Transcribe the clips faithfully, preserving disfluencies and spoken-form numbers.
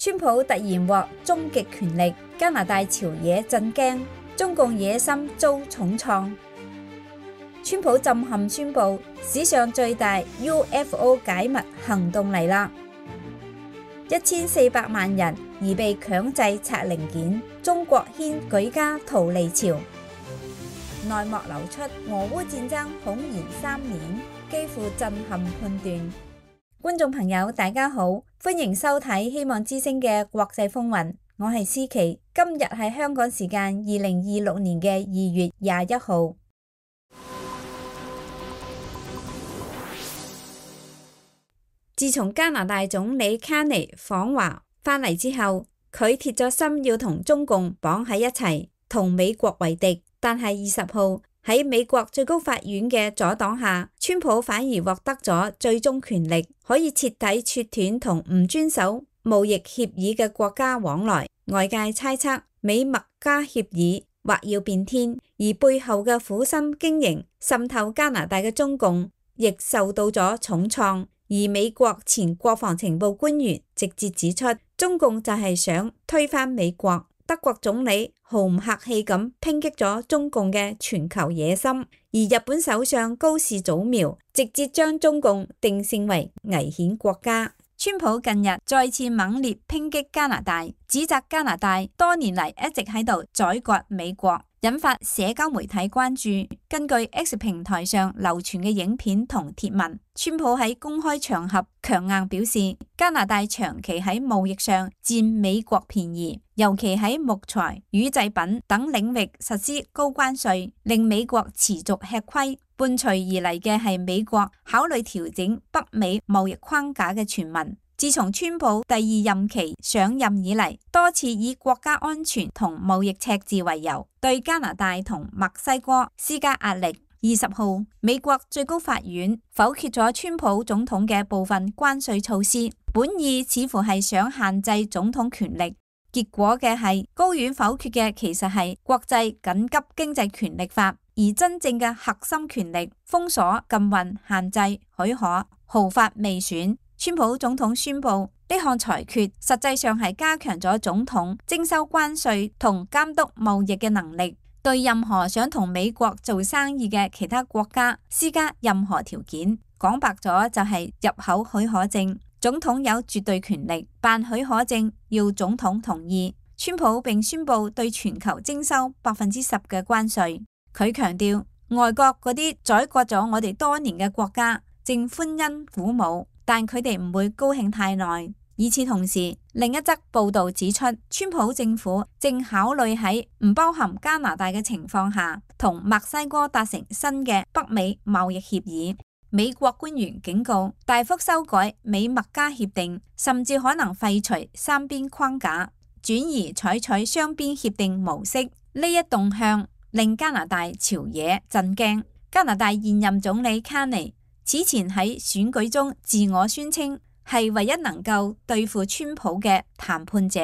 川普突然獲終極權力，加拿大朝野震驚，中共野心遭重創。川普震撼宣布，史上最大 U F O 解密行動嚟啦！一千四百萬人而被強制拆零件，中國掀舉家逃離潮。內幕流出，俄烏戰爭恐延三年，幾乎震撼判斷。觀眾朋友大家好，歡迎收睇希望之聲嘅國際風雲，我係思琪。今日係香港時間二零二六年嘅二月廿一號。自從加拿大總理卡尼訪華返嚟之後，佢鐵咗心要同中共綁喺一齊，同美國為敵。但係二十號喺美國最高法院嘅阻擋下，川普反而獲得咗最終權力，可以徹底切斷同唔遵守貿易協議嘅國家往來。外界猜測美墨加協議或要變天，而背後嘅苦心經營滲透加拿大嘅中共亦受到咗重創。而美國前國防情報官員直接指出，中共就係想推翻美國。德國總理毫唔客氣咁抨擊咗中共嘅全球野心，而日本首相高市早苗直接將中共定性為危險國家。川普近日再次猛烈抨擊加拿大，指責加拿大多年嚟一直喺度宰割美國，引發社交媒體關注。根據 X 平台上流傳嘅影片同貼文，川普喺公開場合強硬表示，加拿大長期喺貿易上佔美國便宜，尤其喺木材、乳製品等領域實施高關稅，令美國持續吃虧。伴隨而嚟嘅係美國考慮調整北美貿易框架嘅傳聞。自從川普第二任期上任以嚟，多次以國家安全同貿易赤字為由，對加拿大同墨西哥施加壓力。二十號，美國最高法院否決咗川普總統嘅部分關稅措施，本意似乎係想限制總統權力。結果嘅係高院否決嘅其實係國際緊急經濟權力法，而真正嘅核心權力封鎖、禁運、限制、許可毫髮未選。川普總統宣布呢項裁決實際上係加強咗總統徵收關稅同監督貿易嘅能力，對任何想同美國做生意嘅其他國家施加任何條件。講白咗就係入口許可證，總統有絕對權力，辦許可證要總統同意。川普並宣布對全球徵收百分之十嘅關稅。佢強調外國嗰啲宰割咗我哋多年嘅國家正歡欣鼓舞，但佢哋唔會高興太耐。與此同時，另一則報道指出，川普政府正考慮喺唔包含加拿大嘅情況下，同墨西哥達成新嘅北美貿易協議。美國官員警告，大幅修改美墨加協定，甚至可能廢除三邊框架，轉而採取雙邊協定模式。呢一動向令加拿大朝野震驚。加拿大現任總理卡尼此前喺選舉中自我宣稱係唯一能夠對付川普嘅談判者，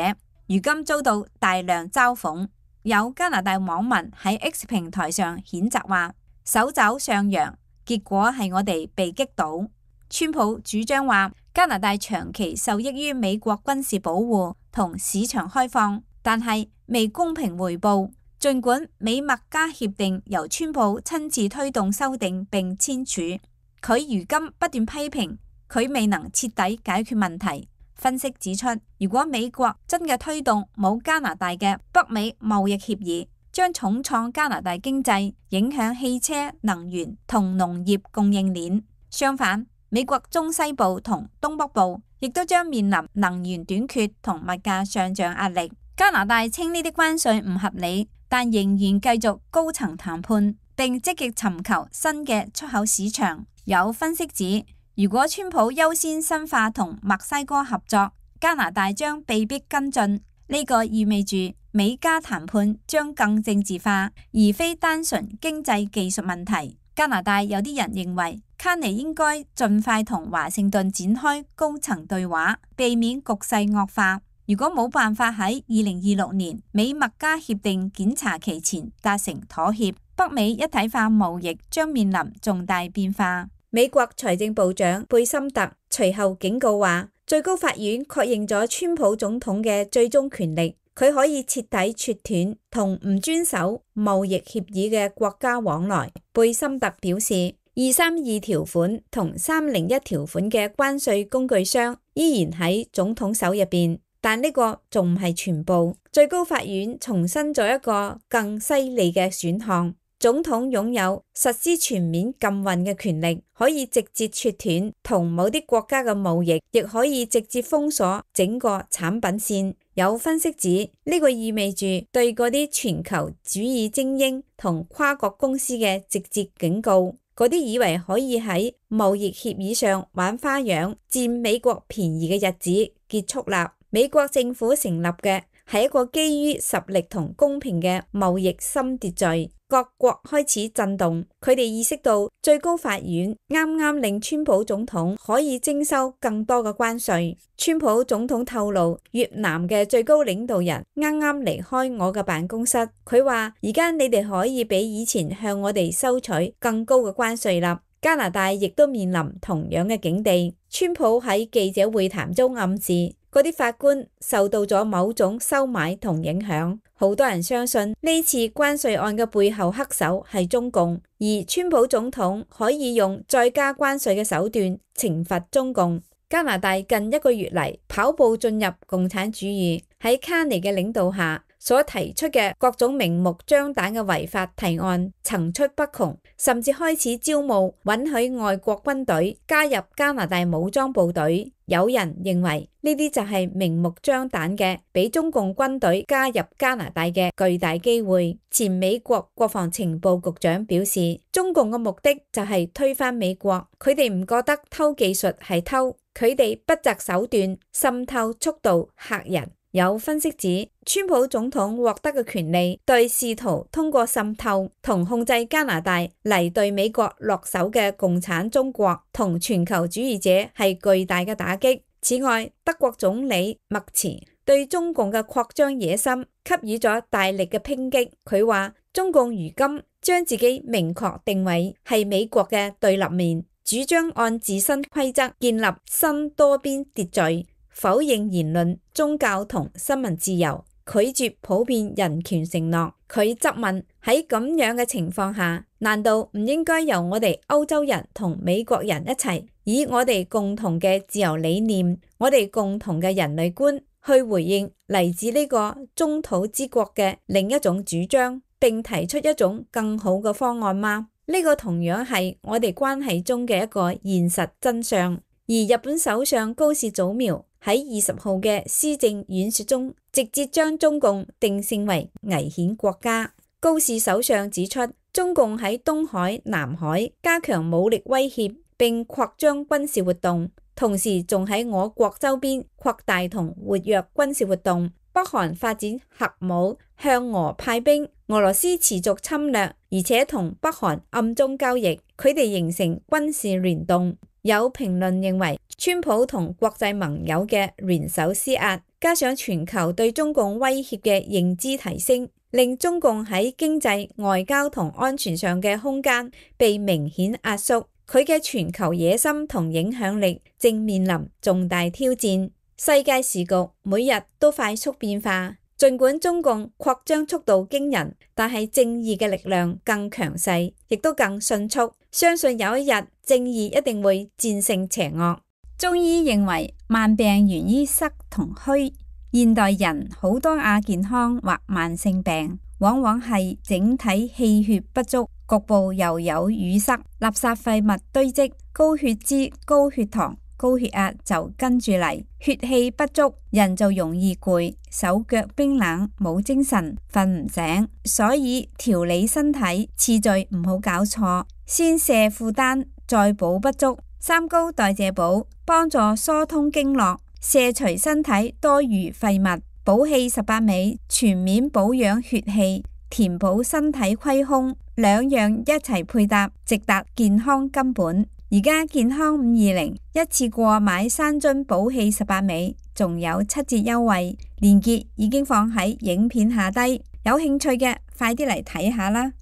如今遭到大量嘲諷。有加拿大網民喺 X 平台上譴責話，手肘上揚，結果係我哋被擊倒。川普主張話，加拿大長期受益於美國軍事保護同市場開放，但係未公平回報。儘管美墨加協定由川普親自推動修訂並簽署，佢如今不斷批評佢未能徹底解決問題。分析指出，如果美國真嘅推動冇加拿大嘅北美貿易協議，將重創加拿大經濟，影響汽車、能源同農業供應鏈。相反，美國中西部同東北部亦都將面臨能源短缺同物價上漲壓力。加拿大稱呢啲關稅唔合理，但仍然繼續高層談判，並積極尋求新嘅出口市場。有分析指，如果川普優先深化同墨西哥合作，加拿大將被迫跟進。呢個意味住美加談判將更政治化，而非單純經濟技術問題。加拿大有啲人認為，卡尼應該盡快同華盛頓展開高層對話，避免局勢惡化。如果冇辦法喺二零二六年美墨加協定檢查期前達成妥協，北美一體化貿易將面臨重大變化。美國財政部長貝森特隨後警告話，最高法院確認咗川普總統嘅最終權力，佢可以徹底切斷同唔遵守貿易協議嘅國家往來。貝森特表示，二三二條款同三零一條款嘅關稅工具箱依然喺總統手入邊，但呢個仲唔係全部。最高法院重申咗一個更犀利嘅選項。總統擁有實施全面禁運嘅權力，可以直接切斷同某啲國家嘅貿易，亦可以直接封鎖整個產品線。有分析指，呢個意味住對嗰啲全球主義精英同跨國公司嘅直接警告。嗰啲以為可以喺貿易協議上玩花樣、佔美國便宜嘅日子結束啦。美國政府成立嘅係一個基於實力同公平嘅貿易新秩序。各國開始震動，佢哋意識到最高法院啱啱令川普總統可以徵收更多嘅關稅。川普總統透露，越南嘅最高領導人啱啱離開我嘅辦公室，佢話而家你哋可以比以前向我哋收取更高嘅關稅啦。加拿大亦都面臨同樣嘅境地。川普喺記者會談中暗示，嗰啲法官受到咗某種收買同影響。好多人相信呢次關稅案嘅背後黑手係中共，而川普總統可以用再加關稅嘅手段懲罰中共。加拿大近一個月嚟跑步進入共產主義，喺卡尼嘅領導下所提出嘅各種明目張膽嘅違法提案層出不窮，甚至開始招募允許外國軍隊加入加拿大武裝部隊。有人認為呢啲就係明目張膽嘅俾中共軍隊加入加拿大嘅巨大機會。前美國國防情報局長表示，中共嘅目的就係推翻美國，佢哋唔覺得偷技術係偷，佢哋不擇手段滲透速度嚇人。有分析指，川普總統獲得嘅權利對試圖通過滲透同控制加拿大嚟對美國落手嘅共產中國同全球主義者係巨大嘅打擊。此外，德國總理默茨對中共嘅擴張野心給予咗大力嘅抨擊。佢話中共如今將自己明確定位係美國嘅對立面，主張按自身規則建立新多邊秩序，否認言論、宗教同新聞自由，拒絕普遍人權承諾。佢質問，喺咁樣嘅情況下，難道唔應該由我哋歐洲人同美國人一齊，以我哋共同嘅自由理念、我哋共同嘅人類觀去回應嚟自呢個中土之國嘅另一種主張，並提出一種更好嘅方案嗎？呢個同樣係我哋關係中嘅一個現實真相。而日本首相高市早苗喺二十號嘅施政演說中，直接將中共定性為危險國家。高市首相指出，中共喺東海、南海加強武力威脅，並擴張軍事活動，同時仲喺我國周邊擴大同活躍軍事活動。北韓發展核武，向俄派兵，俄羅斯持續侵略，而且同北韓暗中交易，佢哋形成軍事聯動。有評論認為，川普同國際盟友嘅聯手施壓，加上全球對中共威脅嘅認知提升，令中共喺經濟、外交同安全上嘅空間被明顯壓縮。佢嘅全球野心同影響力正面臨重大挑戰。世界時局每日都快速變化，儘管中共擴張速度驚人，但係正義嘅力量更強勢，亦都更迅速。相信有一日，正義一定會戰勝邪惡。中醫認為，慢病源於濕同虛。現代人好多亞健康或慢性病，往往係整體氣血不足，局部又有淤塞，垃圾廢物堆積，高血脂、高血糖、高血壓就跟住嚟，血氣不足，人就容易攰，手腳冰冷，冇精神，瞓唔醒。所以調理身體次序唔好搞錯，先卸負擔，再補不足。三高代謝補幫助疏通經絡，卸除身體多餘廢物。補氣十八味全面保養血氣，填補身體虧空，兩樣一齊配搭，直達健康根本。而家健康五二零一次過買三樽補氣十八味，仲有七折優惠，鏈接已經放喺影片下低，有興趣嘅快啲嚟睇下啦。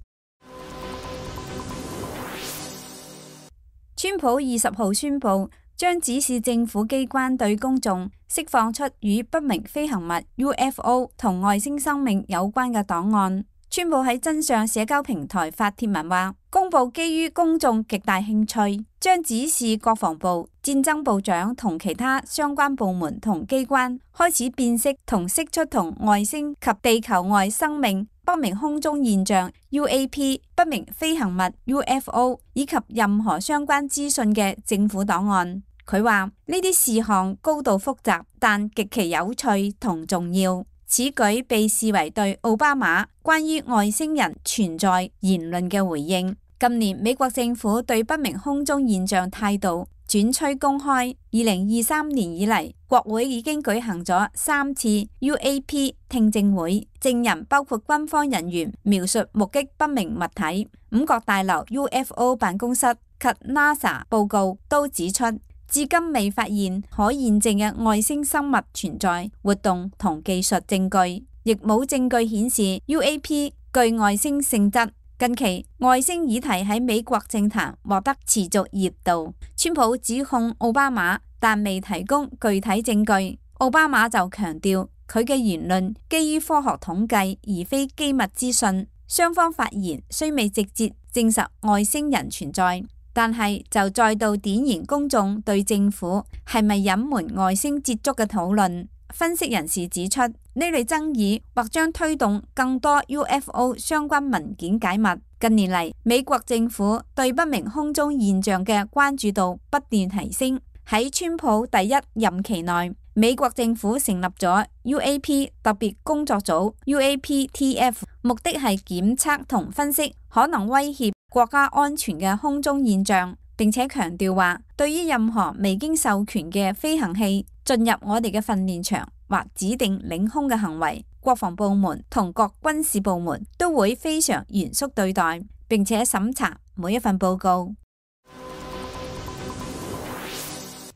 川普二十號宣布將指示政府機關對公眾釋放出與不明飛行物 U F O 同外星生命有關嘅檔案。川普喺真相社交平台發帖文話，公佈基於公眾極大興趣，將指示國防部、戰爭部長同其他相關部門同機關開始辨識同釋出同外星及地球外生命、不明空中現象 U A P、不明飛行物 U F O 以及任何相關資訊嘅政府檔案。佢話呢啲事項高度複雜，但極其有趣同重要。此舉被視為對奧巴馬關於外星人存在言論嘅回應。近年美國政府對不明空中現象態度轉趨公開。二零二三年以嚟，國會已經舉行咗三次 U A P 聽證會，證人包括軍方人員描述目擊不明物體。五角大樓 U F O 辦公室及 NASA 報告都指出，至今未發現可驗證嘅外星生物存在、活動同技術證據，亦冇證據顯示 U A P 具外星性質。近期外星議題喺美國政壇獲得持續熱度。川普指控奧巴馬，但未提供具體證據。奧巴馬就強調佢嘅言論基於科學統計，而非機密資訊。雙方發言雖未直接證實外星人存在，但係就再度點燃公眾對政府係咪隱瞞外星接觸嘅討論。分析人士指出，呢類爭議或將推動更多 U F O 相關文件解密。近年嚟，美國政府對不明空中現象嘅關注度不斷提升。喺川普第一任期內，美國政府成立咗 U A P 特別工作組 U A P T F， 目的係檢測同分析可能威脅國家安全嘅空中現象，並且強調話，對於任何未經授權嘅飛行器進入我哋嘅訓練場或指定領空嘅行為，國防部門同各軍事部門都會非常嚴肅對待，並且審查每一份報告。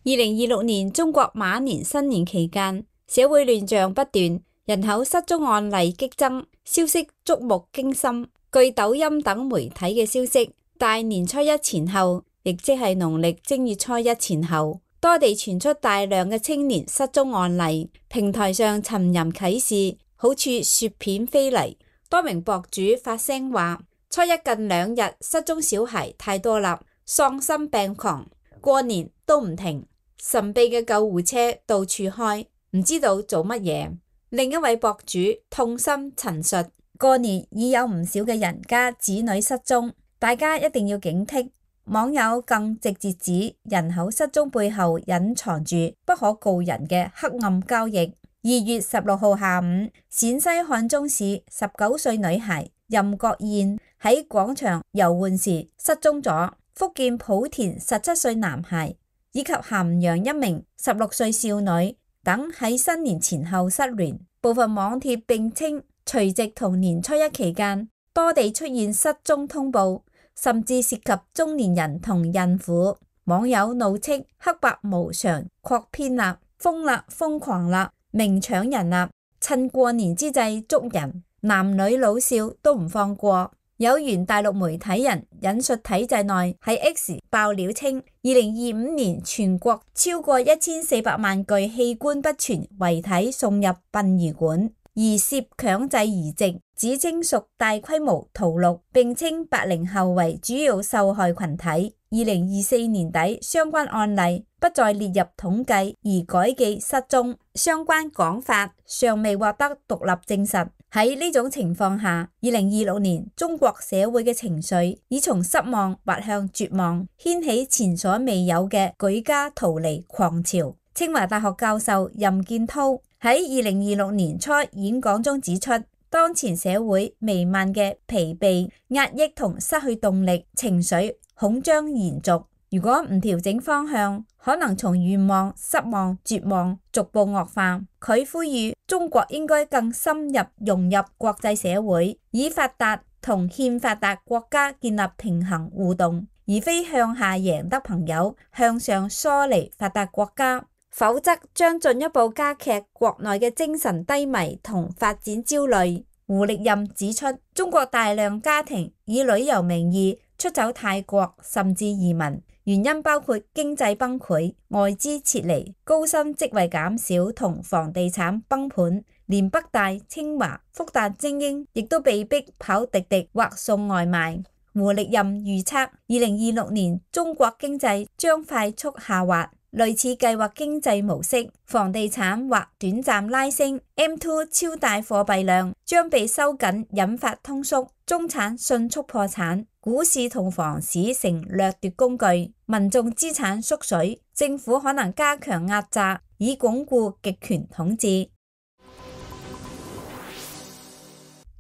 二零二六年中國馬年新年期間，社會亂象不斷，人口失蹤案例激增，消息觸目驚心。據抖音等媒體嘅消息，大年初一前後，亦即係農曆正月初一前後，多地傳出大量嘅青年失蹤案例，平台上尋人啟事，好似雪片飛嚟。多名博主發聲話，初一近兩日失蹤小孩太多啦，喪心病狂，過年都唔停，神秘嘅救護車到處開，唔知道做乜嘢。另一位博主痛心陳述，過年已有唔少嘅人家子女失蹤，大家一定要警惕。網友更直接指人口失蹤背後隱藏住不可告人嘅黑暗交易。二月十六號下午，陝西漢中市十九歲女孩任國燕喺廣場遊玩時失蹤咗，福建莆田十七歲男孩以及咸陽一名十六歲少女等喺新年前後失聯。部分網帖並稱除夕同年初一期間多地出現失蹤通報，甚至涉及中年人同孕婦。網友怒斥黑白無常，擴編啦，瘋啦，瘋狂啦，明搶人啦，趁過年之際捉人，男女老少都唔放過。有原大陸媒體人引述體制內喺 X 爆料稱，二零二五年全國超過一千四百萬具器官不全遺體送入殯儀館，而涉強制移植，指稱屬大規模屠戮，並稱八零後為主要受害群體。二零二四年底相關案例不再列入統計，而改記失蹤，相關講法尚未獲得獨立證實。喺呢種情況下，二零二六年中國社會嘅情緒已從失望滑向絕望，掀起前所未有嘅舉家逃離狂潮。清華大學教授任建濤喺二零二六年初演講中指出，當前社會彌漫嘅疲憊、壓抑同失去動力情緒恐將延續。如果唔調整方向，可能從願望、失望、絕望逐步惡化。佢呼籲中國應該更深入融入國際社會，以發達同欠發達國家建立平衡互動，而非向下贏得朋友，向上疏離發達國家，否則將進一步加劇國內嘅精神低迷同發展焦慮。胡力任指出，中國大量家庭以旅遊名義出走泰國甚至移民，原因包括經濟崩潰、外資撤離、高薪職位減少同房地產崩盤。連北大、清華、復旦精英亦都被逼跑滴滴或送外賣。胡力任預測，二零二六年中國經濟將快速下滑，類似計劃經濟模式，房地產或短暫拉升 ，M 二 超大貨幣量將被收緊，引發通縮，中產迅速破產，股市同房市成掠奪工具，民眾資產縮水，政府可能加強壓榨，以鞏固極權統治。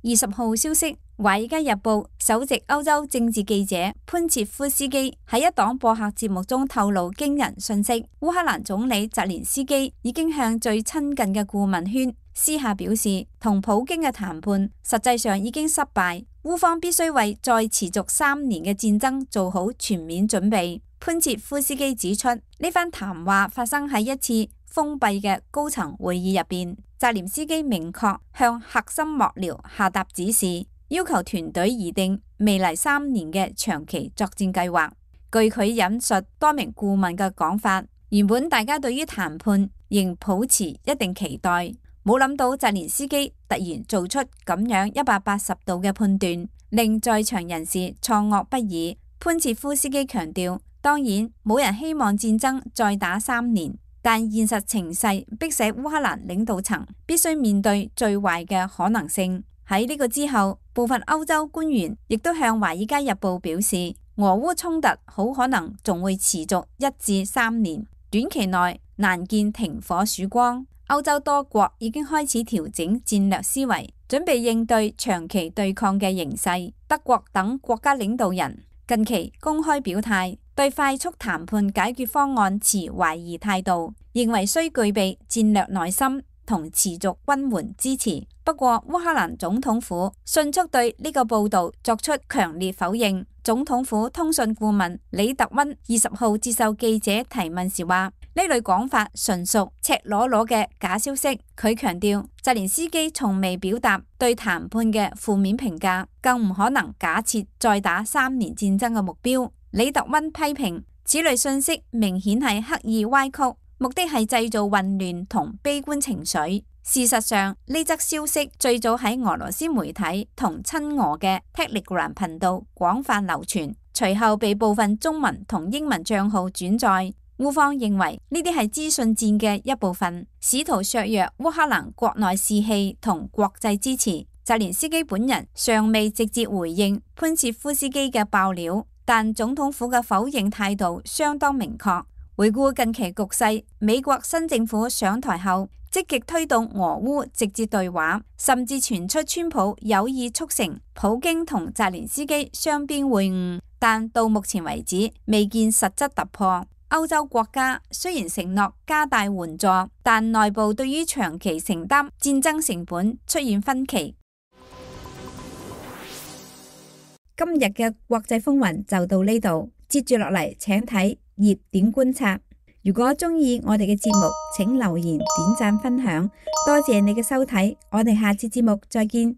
二十號消息，《華爾街日報》首席歐洲政治記者潘切夫斯基喺一檔播客節目中透露驚人訊息：烏克蘭總理澤連斯基已經向最親近嘅顧問圈私下表示，同普京嘅談判實際上已經失敗，烏方必須為再持續三年嘅戰爭做好全面準備。潘切夫斯基指出，呢番談話發生喺一次封閉嘅高層會議入邊，澤連斯基明確向核心幕僚下達指示，要求團隊擬定未來三年嘅長期作戰計劃。據佢引述多名顧問嘅講法，原本大家對於談判仍抱持一定期待，冇諗到澤連斯基突然做出咁樣一百八十度嘅判斷，令在場人士錯愕不已。潘切夫斯基強調，當然冇人希望戰爭再打三年，但現實情勢迫使烏克蘭領導層必須面對最壞嘅可能性。喺呢個之後，部分歐洲官員亦都向《華爾街日報》表示，俄烏衝突好可能仲會持續一至三年，短期內難見停火曙光。歐洲多國已經開始調整戰略思維，準備應對長期對抗嘅形勢。德國等國家領導人近期公開表態，對快速談判解決方案持懷疑態度，認為需具備戰略耐心同持續軍援支持。不過，烏克蘭總統府迅速對呢個報道作出強烈否認。總統府通訊顧問李特溫二十號接受記者提問時話：呢類講法純屬赤裸裸嘅假消息。佢強調，澤連斯基從未表達對談判嘅負面評價，更唔可能假設再打三年戰爭嘅目標。李特溫批評此類信息明顯係刻意歪曲，目的係製造混亂同悲觀情緒。事實上，呢則消息最早喺俄羅斯媒體同親俄嘅 Telegram 頻道廣泛流傳，隨後被部分中文同英文賬號轉載。烏方認為呢啲係資訊戰嘅一部分，試圖削弱烏克蘭國內士氣同國際支持。澤連斯基本人尚未直接回應潘切夫斯基嘅爆料，但總統府嘅否認態度相當明確。回顧近期局勢，美國新政府上台後，積極推動俄烏直接對話，甚至傳出川普有意促成普京同澤連斯基雙邊會晤，但到目前為止未見實質突破。歐洲國家雖然承諾加大援助，但內部對於長期承擔戰爭成本出現分歧。今日嘅國際風雲就到呢度，接住落嚟請睇熱點觀察。如果鍾意我哋嘅節目，請留言、點讚、分享，多謝你嘅收睇，我哋下次節目再見。